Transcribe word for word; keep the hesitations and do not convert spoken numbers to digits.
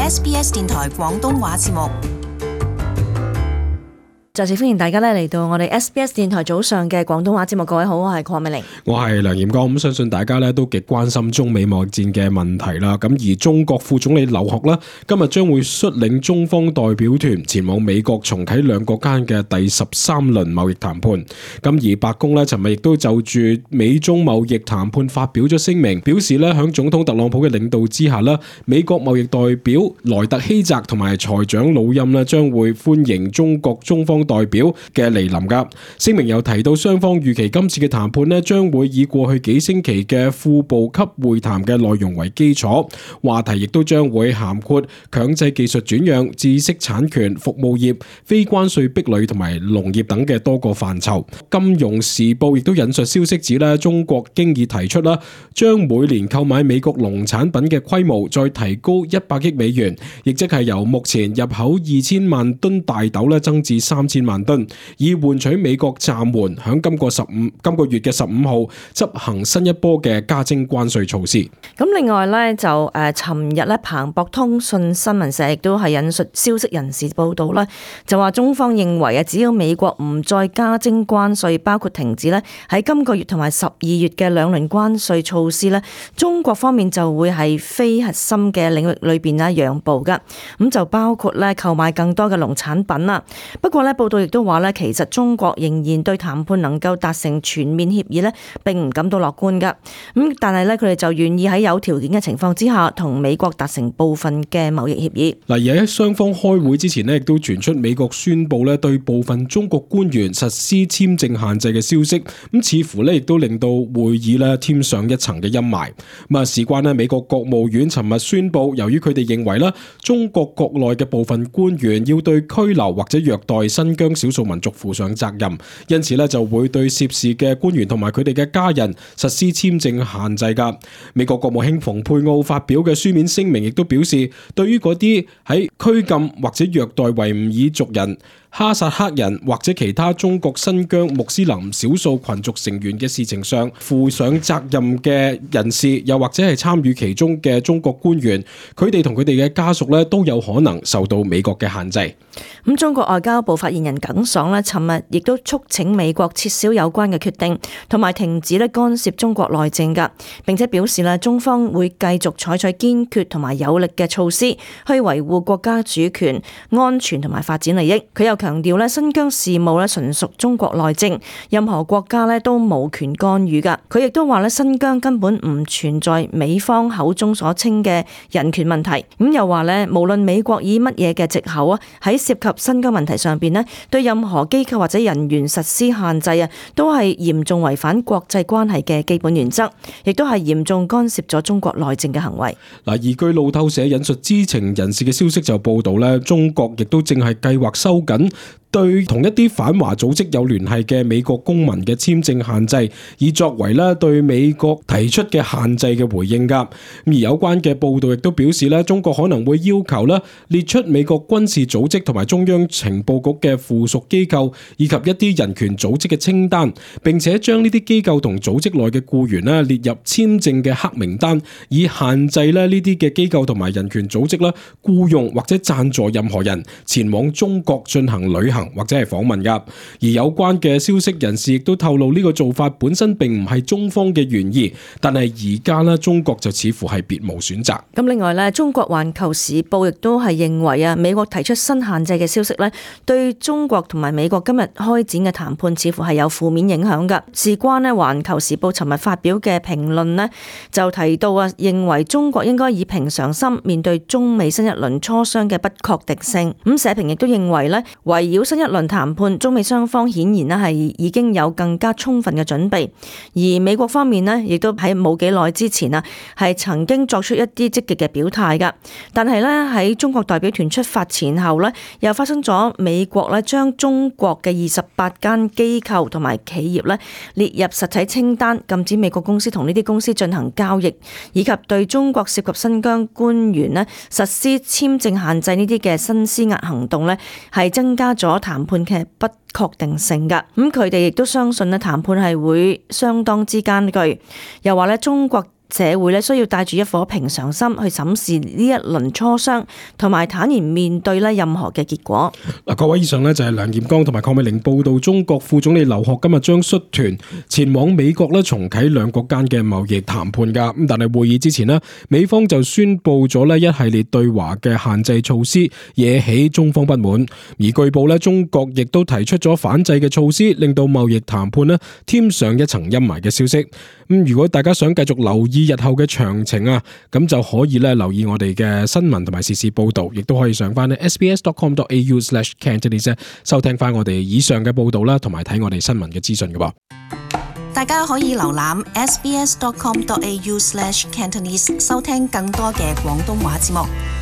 S B S 電台廣東話節目。再次歡迎大家咧嚟到我哋 S B S 電台早上嘅廣東話節目。各位好，我係鄺美玲，我係梁炎光。咁相信大家咧都極關心中美貿易戰嘅問題啦。咁而中國副總理劉鶴呢，今日將會率領中方代表團前往美國重啟兩國間嘅第十三輪貿易談判。咁而白宮呢，尋日亦都就住美中貿易談判發表咗聲明，表示咧響總統特朗普嘅領導之下咧，美國貿易代表萊特希澤同埋財長魯欽咧將會歡迎中國中方代表嘅嚟臨噶。聲明又提到雙方預期今次嘅談判咧將會以過去幾星期嘅副部級會談嘅內容為基礎，話題亦都將會涵括強制技術轉讓、知識產權、服務業、非關稅壁壘同埋農業等嘅多個範疇。金融時報亦都引述消息指咧，中國經已提出啦，將每年購買美國農產品嘅規模再提高一百億美元，亦即係由目前入口二千萬噸大豆咧增至三千萬噸，以換取美國暫緩響今個十五今個月嘅十五號執行新一波嘅加徵關稅措施。咁另外咧就誒，尋日咧彭博通訊新聞社亦都係引述消息人士報道啦，就話中方認為啊，只要美國唔再加徵關稅，包括停止咧喺今個月同埋十二月嘅兩輪關稅措施咧，中國方面就會係非核心嘅領域裏邊咧讓步噶。咁就包括咧購買更多嘅農產品啦。不過咧報道亦都話咧，其實中國仍然對談判能夠達成全面協議咧，並唔感到樂觀噶。咁但係咧，佢哋就願意喺有條件嘅情況之下，同美國達成部分嘅貿易協議。嗱，而喺雙方開會之前咧，亦都傳出美國宣布咧對部分中國官員實施簽證限制嘅消息。咁似乎咧亦都令到會議咧添上一層嘅陰霾。咁啊，事關咧美國國務院尋日宣布，由於佢哋認為咧中國國內嘅部分官員要對拘留或者虐待新疆少數民族負上責任，因此咧就會對涉事嘅官員同埋佢哋嘅家人實施簽證限制噶。美國國務卿蓬佩奧發表嘅書面聲明亦都表示，對於嗰啲喺拘禁或者虐待維吾爾族人、哈薩克人或者其他中國新疆穆斯林少數群族成員嘅事情上負上責任嘅人士，又或者係參與其中嘅中國官員，佢哋同佢哋嘅家屬咧都有可能受到美國嘅限制。咁中國外交部發言人耿爽咧，尋日亦都促請美國撤銷有關嘅決定，同埋停止咧干涉中國內政噶，並且表示咧中方會繼續採取堅決同埋有力嘅措施去維護國家主權、安全同埋發展利益。佢又強調咧新疆事務咧純屬中國內政，任何國家咧都無權干預噶。佢亦都話咧新疆根本唔存在美方口中所稱嘅人權問題。咁又話咧無論美國以乜嘢嘅藉口啊，喺涉及新疆問題上邊咧，對任何機構或者人員實施限制啊，都係嚴重違反國際關係嘅基本原則，亦都係嚴重干涉咗中國內政嘅行為。嗱，而據路透社引述知情人士嘅消息就報道咧，中國亦都正係計劃收緊對同一啲反華組織有聯繫嘅美國公民嘅簽證限制，以作為咧對美國提出嘅限制嘅回應噶。而有關嘅報道亦都表示咧，中國可能會要求咧列出美國軍事組織同埋中央情報局嘅附屬機構以及一啲人權組織嘅清單，並且將呢啲機構同組織內嘅僱員咧列入簽證嘅黑名單，以限制咧呢啲嘅機構同埋人權組織咧僱用或者贊助任何人前往中國進行旅行或者係訪問噶。而有關嘅消息人士亦都透露，呢個做法本身並唔係中方嘅原意，但係而家咧中國就似乎係別無選擇。咁另外咧，中國環球時報亦都係認為啊，美國提出新限制嘅消息咧，對中國同埋美國今日開展嘅談判似乎係有負面影響噶。事關咧，環球時報尋日發表嘅評論咧，就提到啊，認為中國應該以平常心面對中美新一輪磋商嘅不確定性。咁社評亦都認為咧，圍繞新一輪談判，中美雙方顯然咧係已經有更加充分嘅準備，而美國方面咧亦都喺冇幾耐之前啊，係曾經作出一啲積極嘅表態噶。但係咧喺中國代表團出發前後咧，又發生咗美國咧將中國嘅二十八間機構同埋企業咧列入實體清單，禁止美國公司同呢啲公司進行交易，以及對中國涉及新疆官員咧實施簽證限制呢啲嘅新施壓行動咧，係增加咗談判嘅不確定性噶。咁佢哋亦都相信咧談判係會相當之艱巨，又話咧中國社會咧需要帶住一顆平常心去審視呢一輪磋商，同埋坦然面對咧任何嘅結果。嗱，各位以上呢就係梁劍剛同埋鄺美玲報道，中國副總理劉鶴今日將率團前往美國咧重啟兩國間嘅貿易談判噶。咁但係會議之前呢，美方就宣布咗咧一系列對華嘅限制措施，惹起中方不滿。而據報咧，中國亦都提出咗反制嘅措施，令到貿易談判呢添上一層陰霾嘅消息。咁如果大家想繼續留意日後嘅詳情啊，咁就可以咧留意我哋嘅新聞同埋時事報道，亦都可以上翻咧 s b s dot com dot a u slash cantonese 收聽翻我哋以上嘅報道啦，同埋睇我哋新聞嘅資訊嘅噃。大家可以瀏覽 s b s dot com dot a u slash cantonese 收聽更多嘅廣東話節目。